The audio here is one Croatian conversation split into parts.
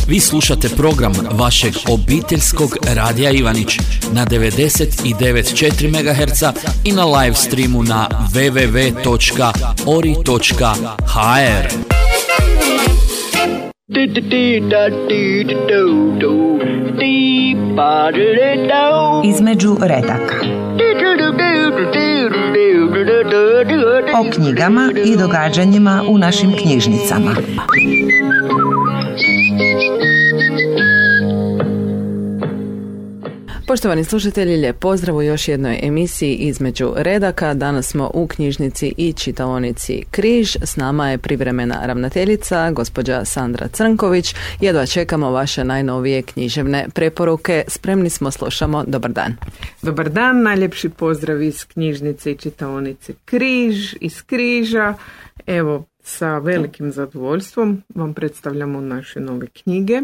Vi slušate program vašeg obiteljskog radija Ivanić na 99,4 MHz i na live streamu na www.ori.hr. Između redaka. O knjigama i događanjima u našim knjižnicama. Poštovani slušatelji, lijep pozdrav u još jednoj emisiji Između redaka. Danas smo u knjižnici i čitaonici Križ. S nama je privremena ravnateljica, gospođa Sandra Crnković. Jedva čekamo vaše najnovije književne preporuke. Spremni smo, slušamo. Dobar dan. Dobar dan, najljepši pozdrav iz knjižnice i čitaonice Križ, iz Križa. Evo, sa velikim zadovoljstvom vam predstavljamo naše nove knjige.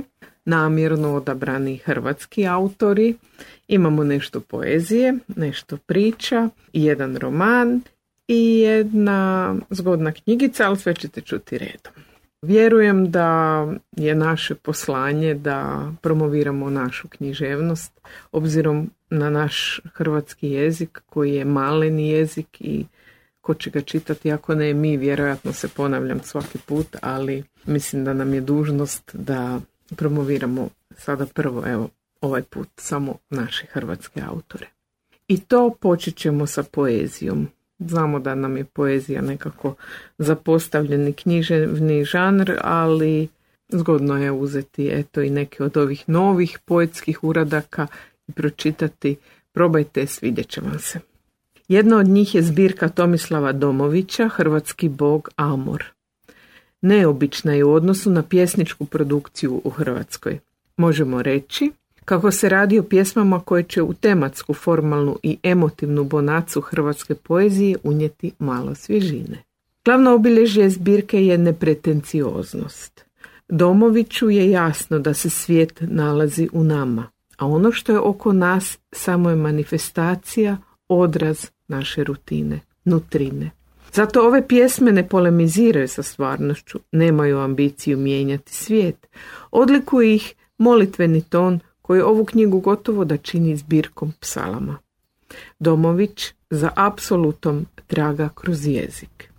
Namjerno odabrani hrvatski autori. Imamo nešto poezije, nešto priča, jedan roman i jedna zgodna knjigica, ali sve ćete čuti redom. Vjerujem da je naše poslanje da promoviramo našu književnost, obzirom na naš hrvatski jezik koji je maleni jezik i ko će ga čitati ako ne mi, vjerojatno se ponavljam svaki put, ali mislim da nam je dužnost da promoviramo sada prvo, evo, ovaj put samo naše hrvatske autore. I to počet ćemo sa poezijom. Znamo da nam je poezija nekako zapostavljeni književni žanr, ali zgodno je uzeti eto i neke od ovih novih poetskih uradaka i pročitati. Probajte, svidjet će vam se. Jedna od njih je zbirka Tomislava Domovića, Hrvatski bog Amor. Neobična je u odnosu na pjesničku produkciju u Hrvatskoj. Možemo reći kako se radi o pjesmama koje će u tematsku, formalnu i emotivnu bonacu hrvatske poezije unijeti malo svježine. Glavno obilježje zbirke je nepretencioznost. Domoviću je jasno da se svijet nalazi u nama, a ono što je oko nas samo je manifestacija, odraz naše rutine, nutrine. Zato ove pjesme ne polemiziraju sa stvarnošću, nemaju ambiciju mijenjati svijet. Odlikuje ih molitveni ton koji ovu knjigu gotovo da čini zbirkom psalama. Domović za apsolutom traga kroz jezik.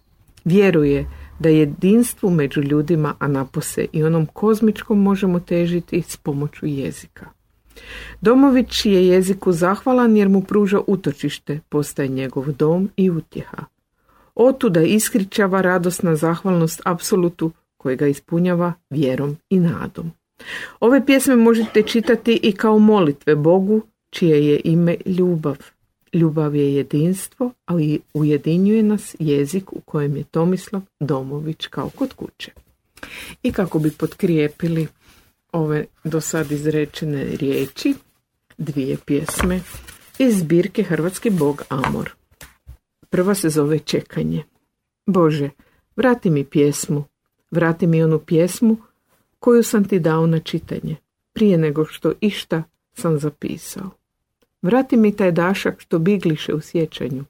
Vjeruje da jedinstvu među ljudima, a napose i onom kozmičkom možemo težiti s pomoću jezika. Domović je jeziku zahvalan jer mu pruža utočište, postaje njegov dom i utjeha. Otuda iskričava radosna zahvalnost apsolutu koji ga ispunjava vjerom i nadom. Ove pjesme možete čitati i kao molitve Bogu, čije je ime ljubav. Ljubav je jedinstvo, ali ujedinjuje nas jezik u kojem je Tomislav Domović kao kod kuće. I kako bi potkrijepili ove do sad izrečene riječi, dvije pjesme iz zbirke Hrvatski bog Amor. Prva se zove Čekanje. Bože, vrati mi pjesmu, vrati mi onu pjesmu koju sam ti dao na čitanje, prije nego što išta sam zapisao. Vrati mi taj dašak što bigliše u sjećanju.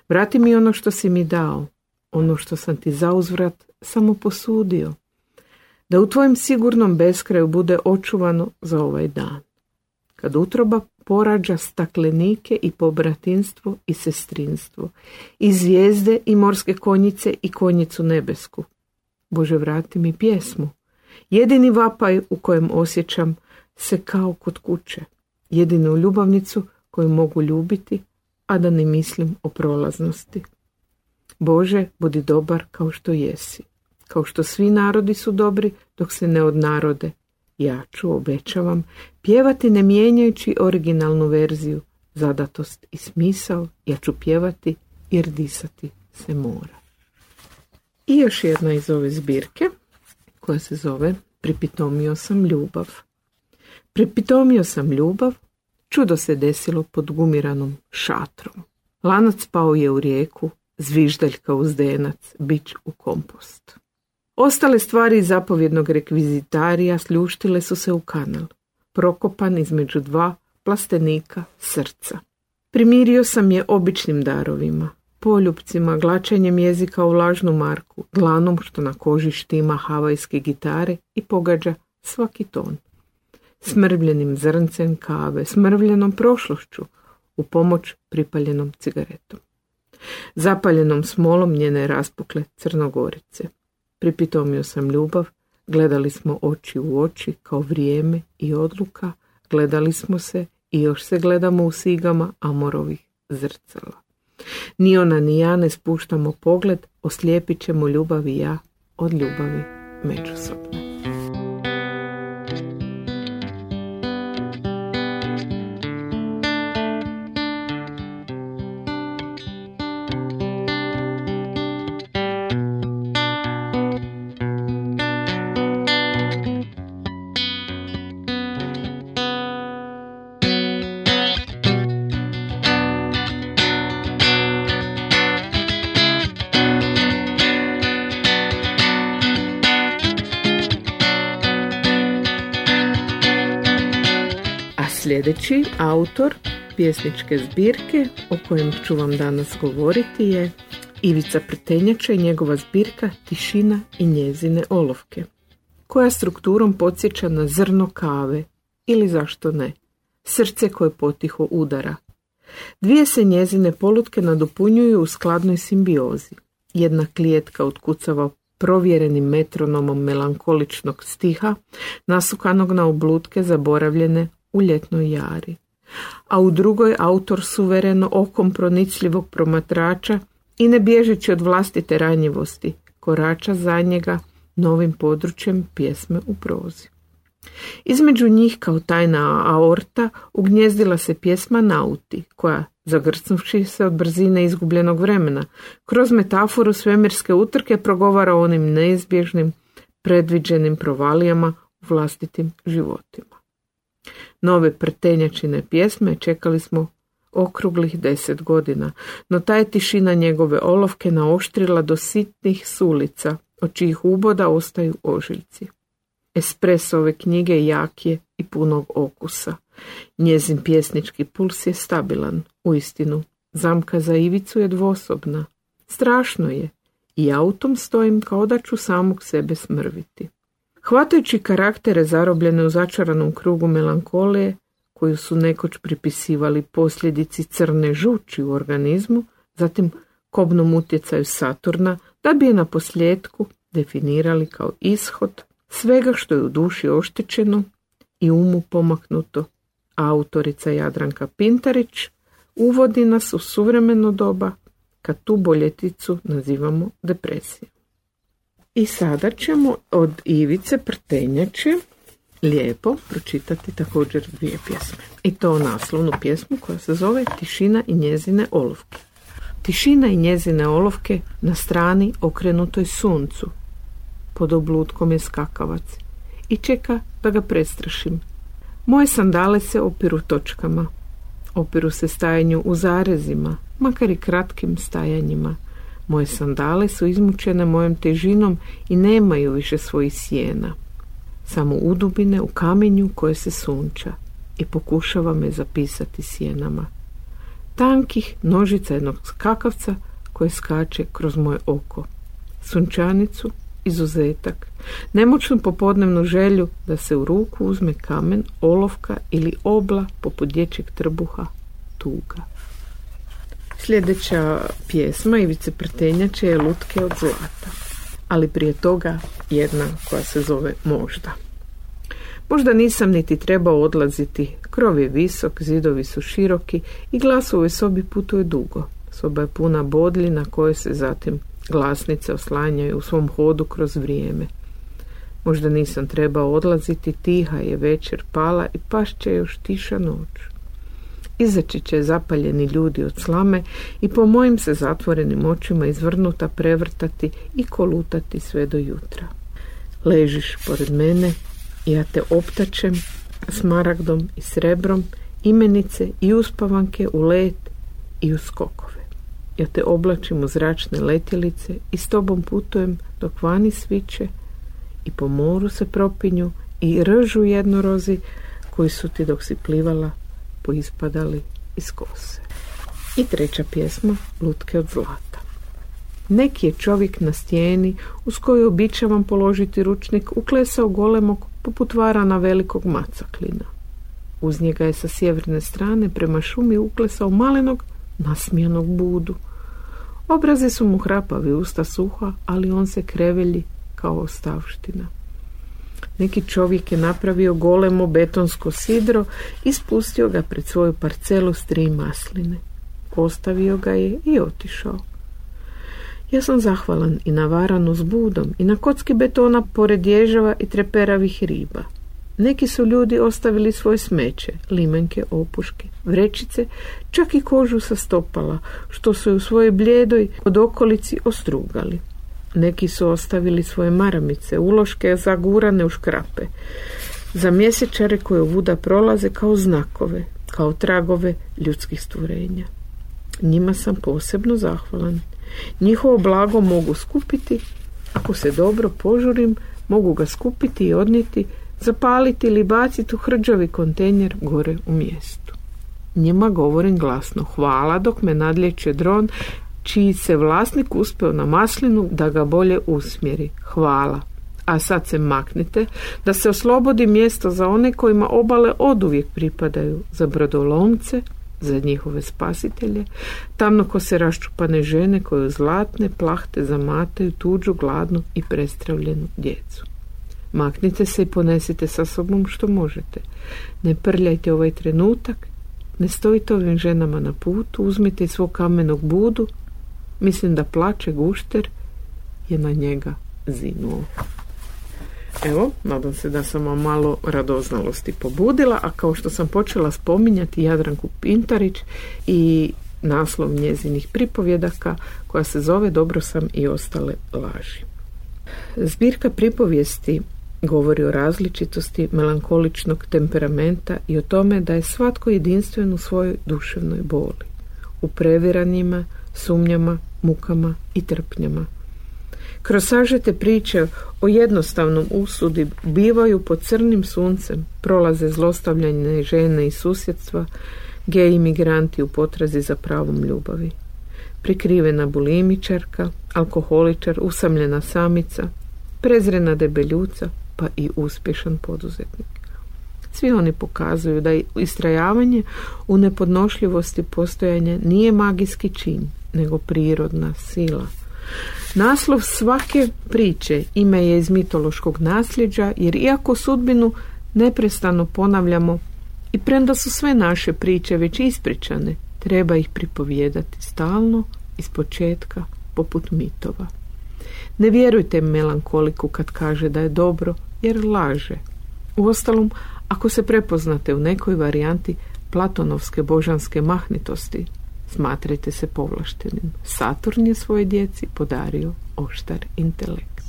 Vrati mi ono što si mi dao, ono što sam ti zauzvrat samo posudio. Da u tvojem sigurnom beskraju bude očuvano za ovaj dan. Kad utroba porađa staklenike i pobratinstvo i sestrinstvo, i zvijezde i morske konjice i konjicu nebesku. Bože, vrati mi pjesmu, jedini vapaj u kojem osjećam se kao kod kuće, jedinu ljubavnicu koju mogu ljubiti, a da ne mislim o prolaznosti. Bože, budi dobar kao što jesi, kao što svi narodi su dobri dok se ne odnarode. Ja ću, obećavam, pjevati ne mijenjajući originalnu verziju, zadatost i smisao, ja ću pjevati jer disati se mora. I još jedna iz ove zbirke, koja se zove Pripitomio sam ljubav. Pripitomio sam ljubav, čudo se desilo pod gumiranom šatrom. Lanac pao je u rijeku, zviždaljka u zdenac, bič u kompost. Ostale stvari iz zapovjednog rekvizitarija sljuštile su se u kanal, prokopan između dva plastenika srca. Primirio sam je običnim darovima, poljupcima, glačanjem jezika u lažnu marku, dlanom što na koži štima havajske gitare i pogađa svaki ton. Smrvljenim zrncem kave, smrvljenom prošlošću, u pomoć pripaljenom cigaretom. Zapaljenom smolom njene raspukle crnogorice. Pripitomio sam ljubav, gledali smo oči u oči kao vrijeme i odluka, gledali smo se i još se gledamo u sigama amorovih zrcala. Ni ona ni ja ne spuštamo pogled, oslijepit ćemo ljubav i ja od ljubavi međusobne. Sljedeći autor pjesničke zbirke o kojem ću vam danas govoriti je Ivica Prtenjača i njegova zbirka Tišina i njezine olovke, koja strukturom podsjeća na zrno kave ili zašto ne, srce koje potiho udara. Dvije se njezine polutke nadopunjuju u skladnoj simbiozi. Jedna klijetka otkucava provjerenim metronomom melankoličnog stiha, nasukanog na oblutke zaboravljene u ljetnoj jari. A u drugoj autor suvereno okom pronicljivog promatrača i ne bježeći od vlastite ranjivosti, korača za njega novim područjem pjesme u prozi. Između njih kao tajna aorta ugnjezdila se pjesma Nauti, koja, zagrcnuvši se od brzine izgubljenog vremena, kroz metaforu svemirske utrke progovara o onim neizbježnim, predviđenim provalijama u vlastitim životima. Nove Prtenjačine pjesme čekali smo okruglih 10 godina, no ta je tišina njegove olovke naoštrila do sitnih sulica, od čijih uboda ostaju ožiljci. Espresso ove knjige jak je i punog okusa. Njezin pjesnički puls je stabilan, uistinu. Zamka za Ivicu je dvosobna. Strašno je i ja u tom stojim kao da ću samog sebe smrviti. Hvatajući karaktere zarobljene u začaranom krugu melankolije, koju su nekoć pripisivali posljedici crne žuči u organizmu, zatim kobnom utjecaju Saturna, da bi je na posljedku definirali kao ishod svega što je u duši oštećeno i umu pomaknuto. Autorica Jadranka Pintarić uvodi nas u suvremeno doba, kad tu boljeticu nazivamo depresijom. I sada ćemo od Ivice Prtenjače lijepo pročitati također dvije pjesme. I to naslovnu pjesmu koja se zove Tišina i njezine olovke. Tišina i njezine olovke na strani okrenutoj suncu. Pod oblutkom je skakavac i čeka da ga prestrašim. Moje sandale se opiru točkama. Opiru se stajanju u zarezima, makar i kratkim stajanjima. Moje sandale su izmučene mojom težinom i nemaju više svojih sjena. Samo udubine u kamenju koje se sunča i pokušava me zapisati sjenama. Tankih nožica jednog skakavca koje skače kroz moje oko. Sunčanicu, izuzetak, nemoćnu popodnevnu želju da se u ruku uzme kamen, olovka ili obla poput dječjeg trbuha, tuga. Sljedeća pjesma Ivice Prtenjače je Lutke od zlata, ali prije toga jedna koja se zove Možda. Možda nisam niti trebao odlaziti, krov je visok, zidovi su široki i glas u ovoj sobi putuje dugo. Soba je puna bodlji na kojoj se zatim glasnice oslanjaju u svom hodu kroz vrijeme. Možda nisam trebao odlaziti, tiha je večer pala i pašće još tiša noć. Izaći će zapaljeni ljudi od slame i po mojim se zatvorenim očima izvrnuta prevrtati i kolutati sve do jutra. Ležiš pored mene, ja te optačem smaragdom i srebrom, imenice i uspavanke u let i u skokove. Ja te oblačim u zračne letjelice i s tobom putujem dok vani sviće i po moru se propinju i ržu jednorozi koji su ti dok si plivala poispadali iz kose. I treća pjesma Lutke od zlata. Neki je čovjek na stijeni uz koju običavam položiti ručnik uklesao golemog poput varana velikog macaklina. Uz njega je sa sjeverne strane prema šumi uklesao malenog, nasmijanog Budu. Obrazi su mu hrapavi, usta suha, ali on se krevelji kao ostavština. Neki čovjek je napravio golemo betonsko sidro i spustio ga pred svoju parcelu s 3 masline. Postavio ga je i otišao. Ja sam zahvalan i na varanu s Budom i na kocki betona pored ježava i treperavih riba. Neki su ljudi ostavili svoje smeće, limenke, opuške, vrećice, čak i kožu sa stopala, što su u svojoj bljedoj od okolici ostrugali. Neki su ostavili svoje maramice, uloške zagurane u škrape, za mjesečare koje ovuda prolaze kao znakove, kao tragove ljudskih stvorenja. Njima sam posebno zahvalan. Njihovo blago mogu skupiti, ako se dobro požurim, mogu ga skupiti i odnijeti, zapaliti ili baciti u hrđavi kontejner gore u mjestu. Njima govorim glasno hvala dok me nadlijeće dron čiji se vlasnik uspeo na maslinu da ga bolje usmjeri. Hvala. A sad se maknite da se oslobodi mjesto za one kojima obale oduvijek pripadaju, za brodolomce, za njihove spasitelje, tamnokose raščupane žene koje u zlatne plahte zamataju tuđu, gladnu i prestravljenu djecu. Maknite se i ponesite sa sobom što možete. Ne prljajte ovaj trenutak, ne stojite ovim ženama na putu, uzmite svog kamenog Budu, mislim da plače gušter je na njega zinuo. Evo, nadam se da sam vam malo radoznalosti pobudila, a kao što sam počela spominjati Jadranku Pintarić i naslov njezinih pripovjedaka koja se zove Dobro sam i ostale laži. Zbirka pripovijesti govori o različitosti melankoličnog temperamenta i o tome da je svatko jedinstven u svojoj duševnoj boli, u previranjima, sumnjama, mukama i trpnjama. Kroz sažete priče o jednostavnom usudi bivaju pod crnim suncem, prolaze zlostavljanje žene i susjedstva, gej imigranti u potrazi za pravom ljubavi, prikrivena bulimičarka, alkoholičar, usamljena samica, prezrena debeljuca, pa i uspješan poduzetnik. Svi oni pokazuju da istrajavanje u nepodnošljivosti postojanja nije magijski čin, nego prirodna sila. Naslov svake priče ime je iz mitološkog nasljeđa, jer iako sudbinu neprestano ponavljamo i premda su sve naše priče već ispričane, treba ih pripovijedati stalno, iz početka, poput mitova. Ne vjerujte melankoliku kad kaže da je dobro, jer laže. Uostalom, ako se prepoznate u nekoj varijanti platonovske božanske mahnitosti, smatrajte se povlaštenim. Saturn je svoje djeci podario oštar intelekt.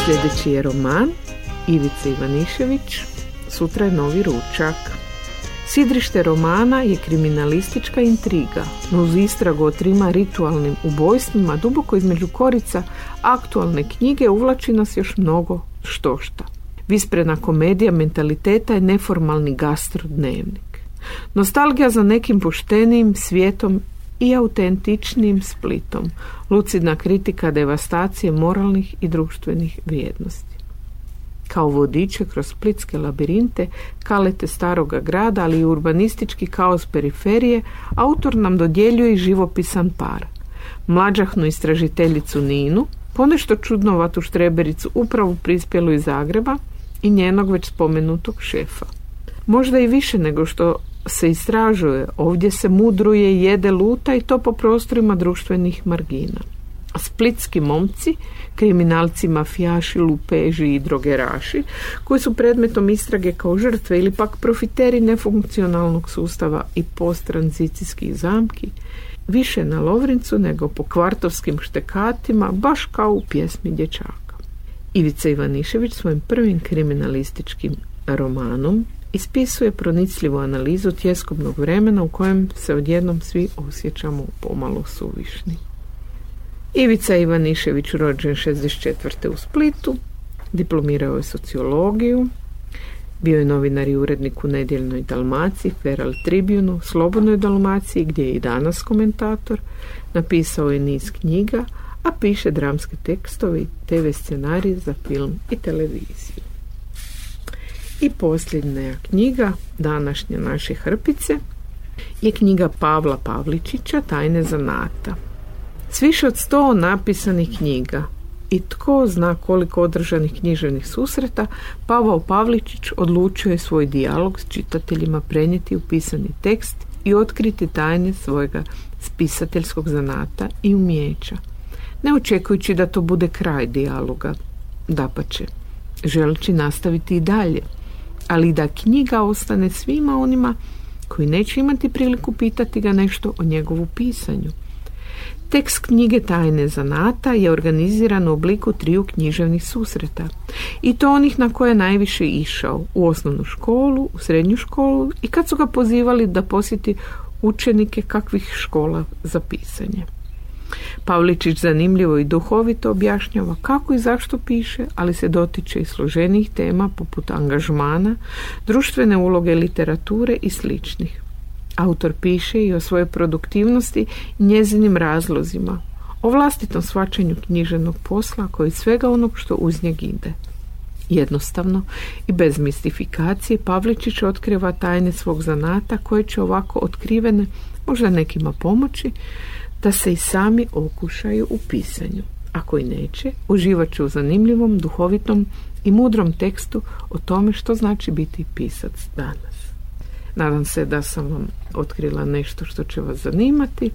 Sljedeći je roman Ivice Ivanišević, Sutra je novi ručak. Sidrište romana je kriminalistička intriga, no uz istragu o 3 ritualnim ubojstvima duboko između korica aktualne knjige uvlači nas još mnogo štošta. Visprena komedija mentaliteta je neformalni gastrodnevnik. Nostalgija za nekim poštenijim svijetom i autentičnijim Splitom, lucidna kritika devastacije moralnih i društvenih vrijednosti. Kao vodiče kroz splitske labirinte, kalete staroga grada, ali i urbanistički kaos periferije, autor nam dodjeljuje i živopisan par. Mlađahnu istražiteljicu Ninu, ponešto čudnovatu štrebericu upravo prispjelu iz Zagreba i njenog već spomenutog šefa. Možda i više nego što se istražuje, ovdje se mudruje, jede, luta i to po prostorima društvenih margina. Splitski momci, kriminalci, mafijaši, lupeži i drogeraši, koji su predmetom istrage kao žrtve ili pak profiteri nefunkcionalnog sustava i posttranzicijskih zamki, više na Lovrincu nego po kvartovskim štekatima, baš kao u pjesmi dječaka. Ivica Ivanišević svojim prvim kriminalističkim romanom ispisuje pronicljivu analizu tjeskobnog vremena u kojem se odjednom svi osjećamo pomalo suvišni. Ivica Ivanišević rođen 64. u Splitu, diplomirao je sociologiju, bio je novinar i urednik u Nedjeljnoj Dalmaciji, Feral Tribunu, Slobodnoj Dalmaciji, gdje je i danas komentator, napisao je niz knjiga, a piše dramske tekstove i TV scenarije za film i televiziju. I posljednja knjiga današnje naše hrpice je knjiga Pavla Pavličića Tajne zanata. S više od 100 napisanih knjiga i tko zna koliko održanih književnih susreta, Pavao Pavličić odlučio je svoj dijalog s čitateljima prenijeti u pisani tekst i otkriti tajne svojega spisateljskog zanata i umijeća, ne očekujući da to bude kraj dijaloga, dapače, želeći nastaviti i dalje, ali da knjiga ostane svima onima koji neće imati priliku pitati ga nešto o njegovu pisanju. Tekst knjige Tajne zanata je organiziran u obliku 3 književnih susreta, i to onih na koje je najviše išao, u osnovnu školu, u srednju školu i kad su ga pozivali da posjeti učenike kakvih škola za pisanje. Pavličić zanimljivo i duhovito objašnjava kako i zašto piše, ali se dotiče i složenijih tema poput angažmana, društvene uloge literature i sličnih. Autor piše i o svojoj produktivnosti i njezinim razlozima, o vlastitom shvaćanju književnog posla koji svega onog što uz njeg ide. Jednostavno i bez mistifikacije Pavličić otkriva tajne svog zanata koje će ovako otkrivene možda nekima pomoći da se i sami okušaju u pisanju. Ako i neće, uživat će u zanimljivom, duhovitom i mudrom tekstu o tome što znači biti pisac danas. Nadam se da sam vam otkrila nešto što će vas zanimati.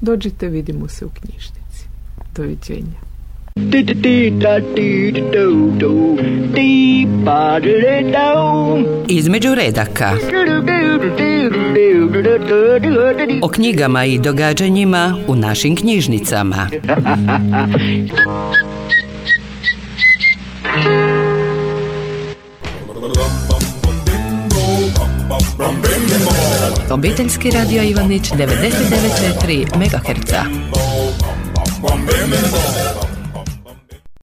Dođite, vidimo se u knjižnici. Doviđenja. Između redaka. O knjigama i događanjima u našim knjižnicama. Obiteljski radio Ivanić 99,4 MHz.